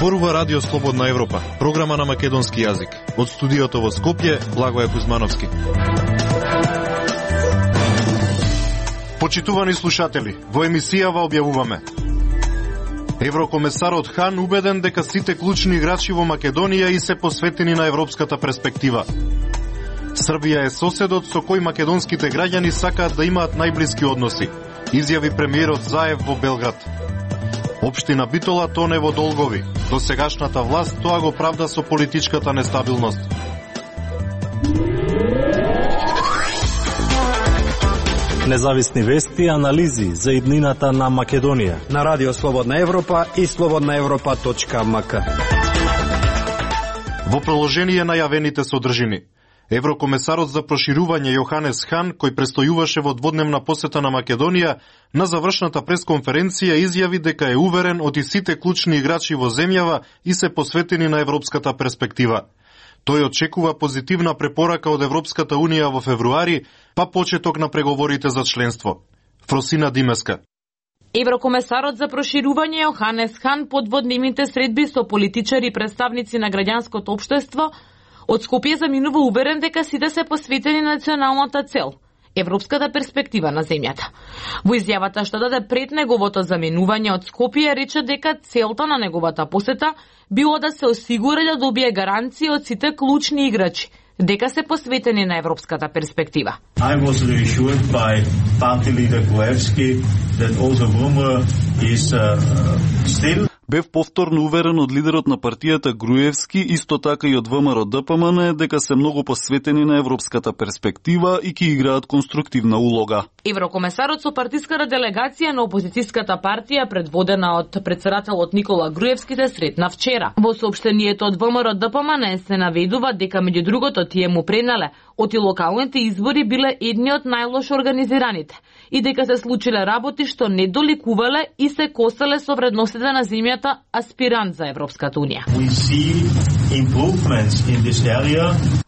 Зборува Радио Слободна Европа, програма на македонски јазик. Од студиото во Скопје, Благоје Кузмановски. Почитувани слушатели, во емисијава објавуваме: Еврокомесарот Хан убеден дека сите клучни играчи во Македонија и се посветени на европската перспектива. Србија е соседот со кој македонските граѓани сакаат да имаат најблиски односи, изјави премиерот Заев во Белград. Општина Битола тоне во долгови. До сегашната власт тоа го правда со политичката нестабилност. Независни вести и анализи за иднината на Македонија на Радио Слободна Европа и slobodnaevropa.mk. Во продолжение на јавените содржини, Еврокомесарот за проширување Јоханес Хан, кој престојуваше во дводневна посета на Македонија, на завршната пресконференција изјави дека е уверен од сите клучни играчи во земјава и се посветени на европската перспектива. Тој очекува позитивна препорака од Европската Унија во февруари, па почеток на преговорите за членство. Фросина Димеска. Еврокомесарот за проширување Јоханес Хан по дводневните средби со политичари и представници на граѓанското општество од Скопје заминува уверен дека сите се посветени на националната цел – европската перспектива на земјата. Во изјавата што даде пред неговото заминување од Скопје рече дека целта на неговата посета било да се осигури да добие гаранции од сите клучни играчи дека се посветени на европската перспектива. I was reassured by party leader Gruevski that also Rumor is still. Бев повторно уверен од лидерот на партијата Груевски, исто така и од ВМРО ДПМН, дека се многу посветени на европската перспектива и ќе играат конструктивна улога. Еврокомесарот со партиската делегација на опозицијската партија, предводена од претседателот Никола Груевски, се сретна вчера. Во соопштението од ВМРО ДПМН се наведува дека меѓу другото тие му пренале оти локалните избори биле едни од најлошо организираните и дека се случиле работи што не доликувале и се косале со вредностите на земјата аспирант за Европската Унија.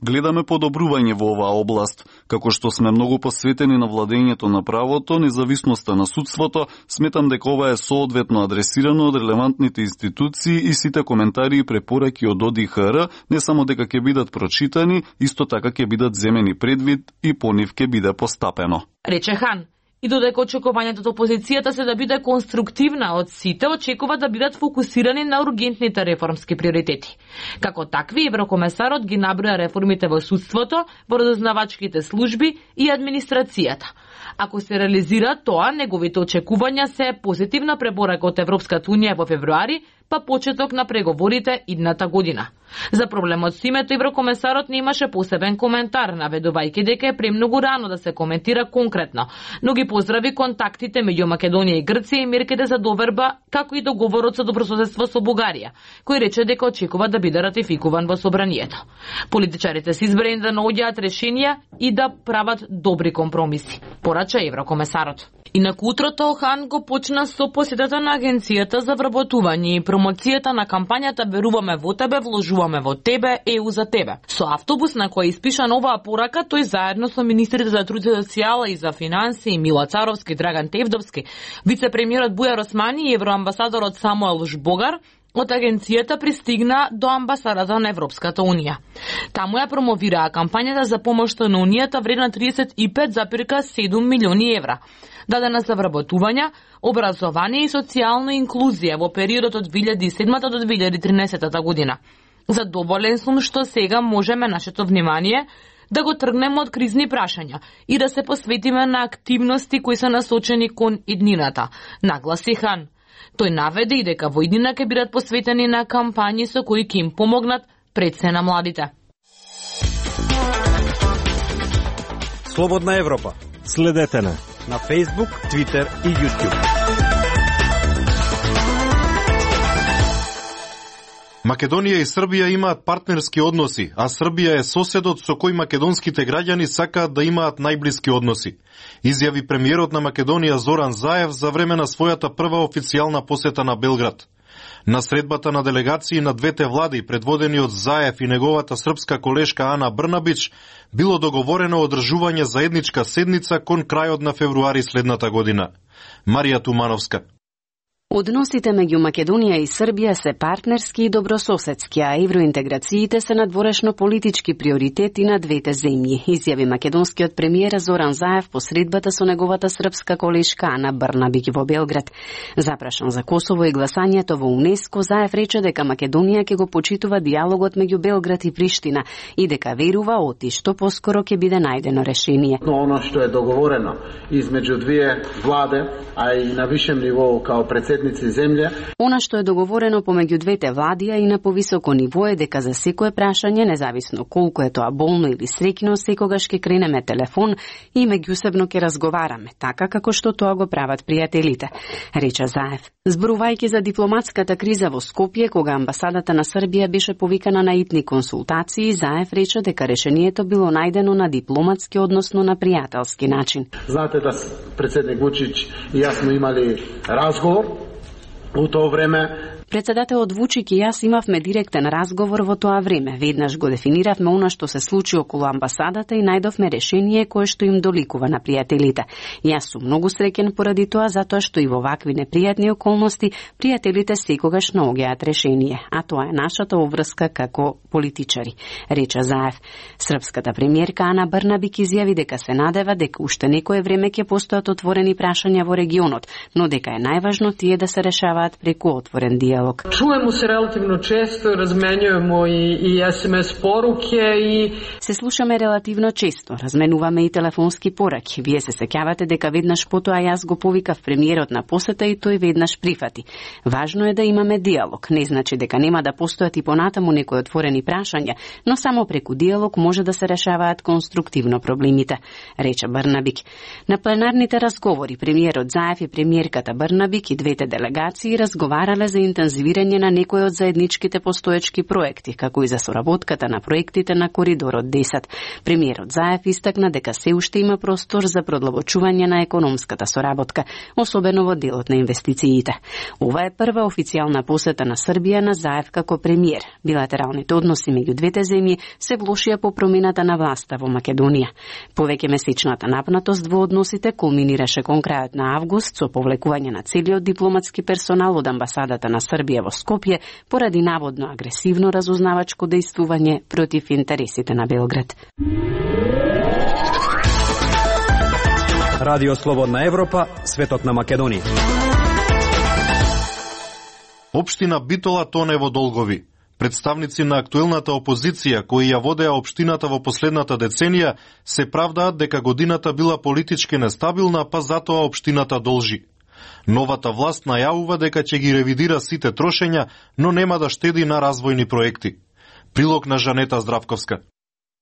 Гледаме подобрување во оваа област, како што сме многу посветени на владењето на правото, независноста на судството. Сметам дека ова е соодветно адресирано од релевантните институции и сите коментари и препораки од ОДИХР не само дека ќе бидат прочитани, исто така ќе бидат земени предвид и по нив ќе биде постапено, рече Хан. И додека очекувањето од опозицијата се да биде конструктивна од сите, очекува да бидат фокусирани на ургентните реформски приоритети. Како такви, Еврокомесарот ги наброја реформите во судството, во разузнавачките служби и администрацијата. Ако се реализира тоа, неговите очекувања се позитивна препорака од Европската Унија во февруари, па почеток на преговорите идната година. За проблемот со името Еврокомесарот не имаше посебен коментар, наведувајќи дека е премногу рано да се коментира конкретно, но ги поздрави контактите меѓу Македонија и Грција и мерките за доверба, како и договорот со добрососедство со Бугарија, кој рече дека очекува да биде ратификуван во собранието. Политичарите се избрани да наоѓаат решенија и да прават добри компромиси, порача Еврокомесарот. Инаку утрото Хан го почна со посетата на Агенцијата за вработување и промоцијата на кампањата Веруваме во тебе, вложуваме во тебе, ЕУ за тебе. Со автобус на кој испишан оваа порака, тој заедно со министрите за труд и социјала и за финансии Мила Царовски, Драган Тевдовски, вице-премиерот Бујар Османи и евроамбасадорот Самуел Жбогар од агенцијата пристигна до амбасадата на Европската Унија. Таму ја промовираа кампањата за помошта на Унијата вредна 35,7 милиони евра, дадена за вработување, образование и социјална инклузија во периодот од 2007 до 2013 година. Задоволен сум што сега можеме нашето внимание да го тргнеме од кризни прашања и да се посветиме на активности кои се насочени кон иднината, нагласи Хан. Тој наведе и дека во иднина ќе бидат посветени на кампањи со кои ќе им помогнат пред се на младите. Слободна Европа. Следете на Facebook, Twitter и YouTube. Македонија и Србија имаат партнерски односи, а Србија е соседот со кој македонските граѓани сакаат да имаат најблиски односи, изјави премиерот на Македонија Зоран Заев за време на својата прва официјална посета на Белград. На средбата на делегации на двете влади, предводени од Заев и неговата српска колешка Ана Брнабич, било договорено одржување заедничка седница кон крајот на февруари следната година. Марија Тумановска. Односите меѓу Македонија и Србија се партнерски и добрососедски, а евроинтеграциите се надворешно политички приоритети на двете земји, изјави македонскиот премиер Зоран Заев по средбата со неговата српска колешка Ана Брнабик во Белград. Запрашан за Косово и гласањето во УНЕСКО, Заев рече дека Македонија ќе го почитува диалогот меѓу Белград и Приштина и дека верува оти што поскоро ќе биде најдено решение. Но оно што е договорено измеѓу две владе, а и на вишем ниво као земја. Она што е договорено помеѓу двете влади, а и на повисоко ниво е дека за секое прашање, независно колку е тоа болно или среќно, секогаш ќе кренеме телефон и меѓусебно ќе разговараме, така како што тоа го прават пријателите, рече Заев. Зборувајќи за дипломатската криза во Скопје, кога амбасадата на Србија беше повикана на итни консултации, Заев рече дека решението било најдено на дипломатски, односно на пријателски начин. Знаете да председник Вучич и јас сме имали разговор. У тоа време Председателот Вучик и јас имавме директен разговор во тоа време. Веднаш го дефиниравме она што се случи околу амбасадата и најдовме решение кое што им доликува на пријателите. Јас сум многу среќен поради тоа, затоа што и во вакви непријатни околности пријателите секогаш наоѓаат решение, а тоа е нашата обврска како политичари, рече Заев. Српската премиерка Ана Брнабик изјави дека се надева дека уште некое време ќе постојат отворени прашања во регионот, но дека е најважно тие да се решаваат преку отворен дијалог. Čujemo se relativno često, razmenjujemo i SMS poruke i... Се слушаме релативно често, разменуваме и телефонски пораки. Вие се сеќавате дека веднаш потоа јас го повикав премиерот на посета и тој веднаш прифати. Важно е да имаме диалог. Не значи дека нема да постојат и понатаму некои отворени прашања, но само преку диалог може да се решаваат конструктивно проблемите, рече Брнабик. На пленарните разговори премиерот Заев и премиерката Брнабик и двете делегации разговарале за интензивирање на некои од заедничките постоечки проекти, како и за соработката на проектите на Коридорот 10. Премиерот Заев истакна дека се уште има простор за продлабочување на економската соработка, особено во делот на инвестициите. Ова е прва официјална посета на Србија на Заев како премиер. Билатералните односи меѓу двете земји се влошија по промената на власта во Македонија. Повеќе месечната напнатост во односите кулминираше кон крајот на август со повлекување на целиот дипломатски персонал од амбасадата на Србија во Скопје поради наводно агресивно разузнавачко дејствување против интересите на Белград. Радио Слободна Европа, светот на Македонија. Општина Битола тоне во долгови. Представници на актуелната опозиција кои ја водеа општината во последната деценија се правдаат дека годината била политички нестабилна, па затоа општината должи. Новата власт најавува дека ќе ги ревидира сите трошења, но нема да штеди на развојни проекти. Прилог на Жанета Здравковска.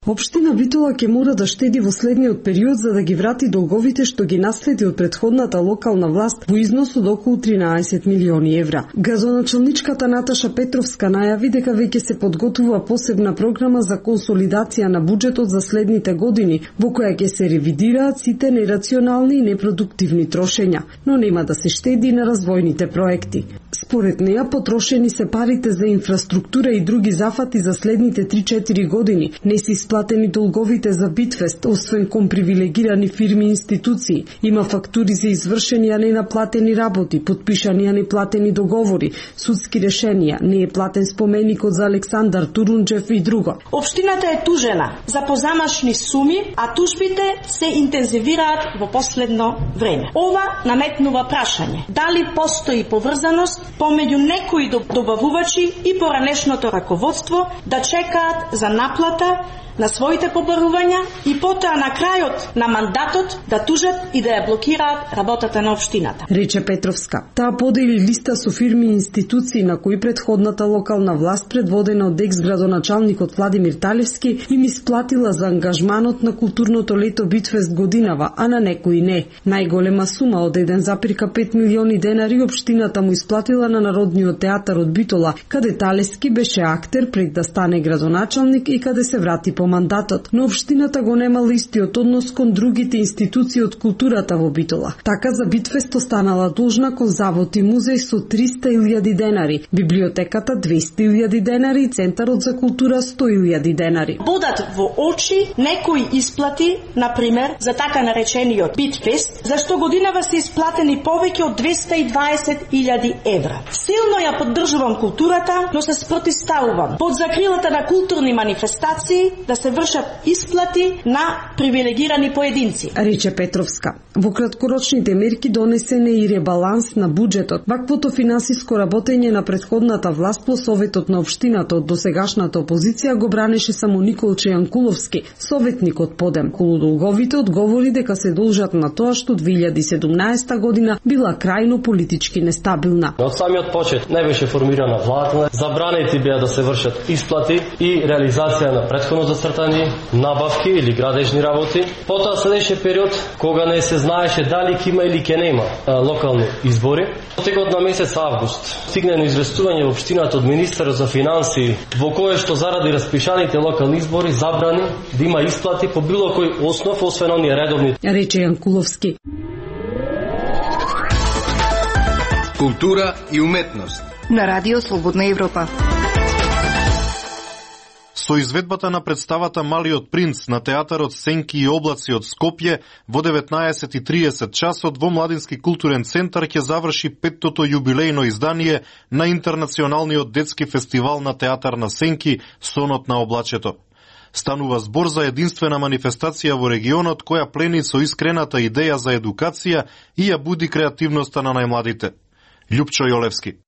Општина Битола ќе мора да штеди во следниот период за да ги врати долговите што ги наследи од претходната локална власт во износ од околу 13 милиони евра. Градоначалничката Наташа Петровска најави дека веќе се подготвува посебна програма за консолидација на буџетот за следните години, во која ќе се ревидираат сите нерационални и непродуктивни трошења, но нема да се штеди на развојните проекти. Според неа, потрошени се парите за инфраструктура и други зафати за следните 3-4 години. Не се исплатени долговите за Битфест, освен кон привилегирани фирми и институции. Има фактури за извршени, а ненаплатени работи, подпишани, а неплатени договори, судски решенија, не е платен споменикот за Александар Турунџев и друго. Општината е тужена за позамашни суми, а тужбите се интензивираат во последно време. Ова наметнува прашање: дали постои поврзаност помеѓу некои добавувачи и поранешното раководство да чекаат за наплата на своите побарувања и потоа на крајот на мандатот да тужат и да ја блокираат работата на општината, рече Петровска. Таа подели листа со фирми и институции на кои претходната локална власт, предводена од екс-градоначалникот Владимир Талевски, им исплатила за ангажманот на културното лето Битфест годинава, а на некои не. Најголема сума од 1,5 милиони денари општината му исплатила на Народниот театар од Битола, каде Талевски беше актер пред да стане градоначалник и каде се врати по по мандатот, но општината го немала истиот однос кон другите институции од културата во Битола. Така за Битфест останала должна кон завод и музеј со 300.000 денари, библиотеката 200.000 денари и Центарот за култура 100.000 денари. Бодат во очи некои исплати, например, за така наречениот Битфест, за што годинава се исплатени повеќе од 220.000 евра. Силно ја поддржувам културата, но се спротивставувам под закрилата на културни манифестации да се вршат исплати на привилегирани поединци, рече Петровска. Во краткорочните мерки донесен е и ребаланс на буџетот. Ваквото финансиско работење на претходната власт по советот на општината од досегашната опозиција го бранеше само Николче Јанкуловски, советник од Подем. Колудолговите одговори дека се должат на тоа што 2017 година била крајно политички нестабилна. Од самиот почет не беше формирана влада, забранети беа да се вршат исплати и реализација на претходно зацртани набавки или градежни работи. Потоа следеше период кога не се знаеше дали ќе има или ќе нема локални избори. Текот на месец август стигнено известување во општината од министерот за финансии во кое што заради распишаните локални избори забрани да има исплати по било кој основ освен оние редовни, рече Јанкуловски. Култура и уметност на Радио Слободна Европа. Со изведбата на представата Малиот принц на театарот Сенки и облаци од Скопје во 19:30 часот во Младински културен центар ќе заврши 5-тото јубилејно издание на Интернационалниот детски фестивал на театар на Сенки Сонот на облачето. Станува збор за единствена манифестација во регионот која плени со искрената идеја за едукација и ја буди креативноста на најмладите. Љупчо Јолевски.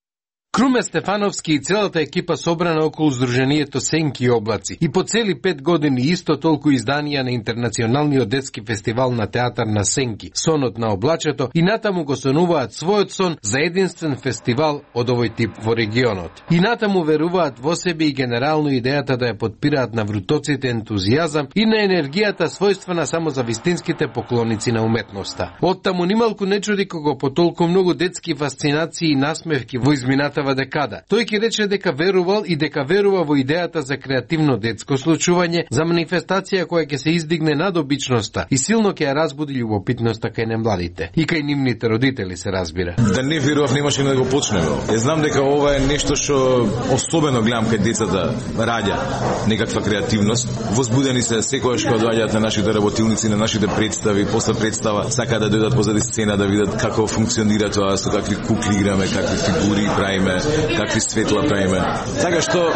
Круме Стефановски и целата екипа собрана околу Сдруженијето Сенки и облаци и по цели 5 години исто толку изданија на Интернационалниот детски фестивал на театар на Сенки, Сонот на облачето, и натаму го сонуваат својот сон за единствен фестивал од овој тип во регионот. И натаму веруваат во себе и генерално идејата да ја подпираат на врутоците ентузијазам и на енергијата својствена само за вистинските поклоници на уметноста. Оттаму нималку не чуди кога по толку многу детски фасцинации и насмевки во измината декада. Тој ќе рече дека верувал и дека верува во идејата за креативно детско случување, за манифестација која ќе се издигне над обичноста и силно ќе ја разбуди љубопитноста кај немладите и кај нивните родители, се разбира. Да не верував немаше да го почнеме. Ја знам дека ова е нешто што особено гледам кај децата раѓа некаква креативност. Возбудени се секогаш кога доаѓаат на нашите работилници, на нашите представи, после представа сакаат да дојдат позади сцена да видат како функционира тоа, со какви кукли играме, какви фигури правиме, какви светла правиме. Така што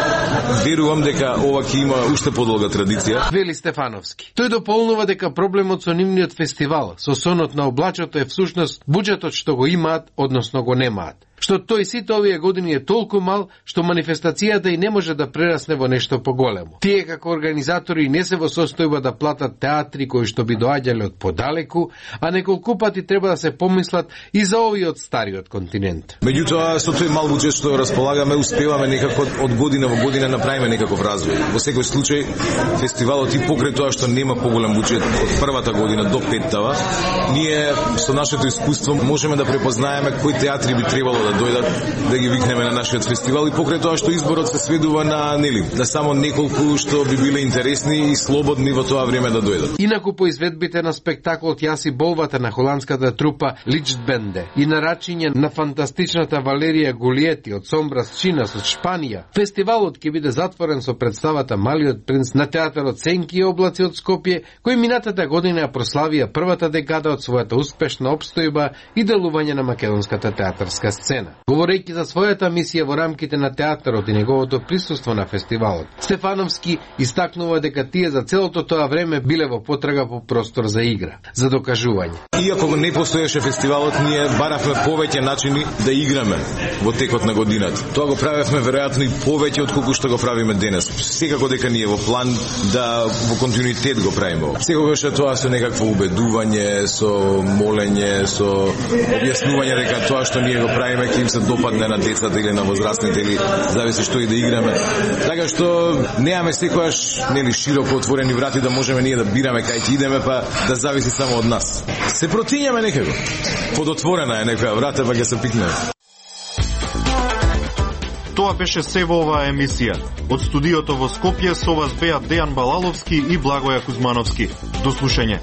верувам дека ова ќе има уште подолга традиција. Вели Стефановски. Тој дополнува дека проблемот со нивниот фестивал, со Сонот на облачето, е всушност буџетот што го имаат, односно го немаат. Што тој сите овие години е толку мал, што манифестацијата и не може да прерасне во нешто поголемо. Тие како организатори не се во состојба да платат театри кои што би доаѓале од подалеку, а неколку пати треба да се помислат и за овиот стариот континент. Меѓутоа, со тој мал буџет што располагаме, успеваме некако од година во година направиме некаков развој. Во секој случај, фестивалот и покрај тоа што нема поголем буџет од првата година до петтава, ние со нашето искуство можеме да препознаеме кои театри би требало да дојдат, да ги викнеме на нашиот фестивал, и покрај тоа што изборот се сведува на на само неколку што би биле интересни и слободни во тоа време да дојдат. Инаку по изведбите на спектаклот Јаси болвата на холандската трупа Личтбенде и нарачиње на фантастичната Валерија Гулиети од Сомбрас Чинас од Шпанија, фестивалот ќе биде затворен со представата Малиот принц на театарот Сенки и облаци од Скопје, кој минатата година ја прославија првата декада од својата успешна опстојба и делување на македонската театарска сцена. Говорејќи за својата мисија во рамките на театарот и неговото присуство на фестивалот, Стефановски истакнува дека тие за целото тоа време биле во потрага по простор за игра, за докажување. Иако не постоеше фестивалот, ние баравме повеќе начини да играме во текот на годината. Тоа го правевме веројатно и повеќе од колку што го правиме денес. Секако дека ние во план да во континуитет го правиме. Секогаш е тоа со некакво убедување, со молење, со објаснување дека тоа што ние го правиме ќе им се допадне на децата или на возрастните, или зависи што и да играме. Така што немаме секогаш широко отворени врати да можеме ние да бираме кај ќе идеме, па да зависи само од нас. Се противиме некако. Подотворена е некоја врата, па ќе се пикнеме. Тоа беше се во оваа емисија. Од студиото во Скопје со вас беа Дејан Балаловски и Благоја Кузмановски. До слушање.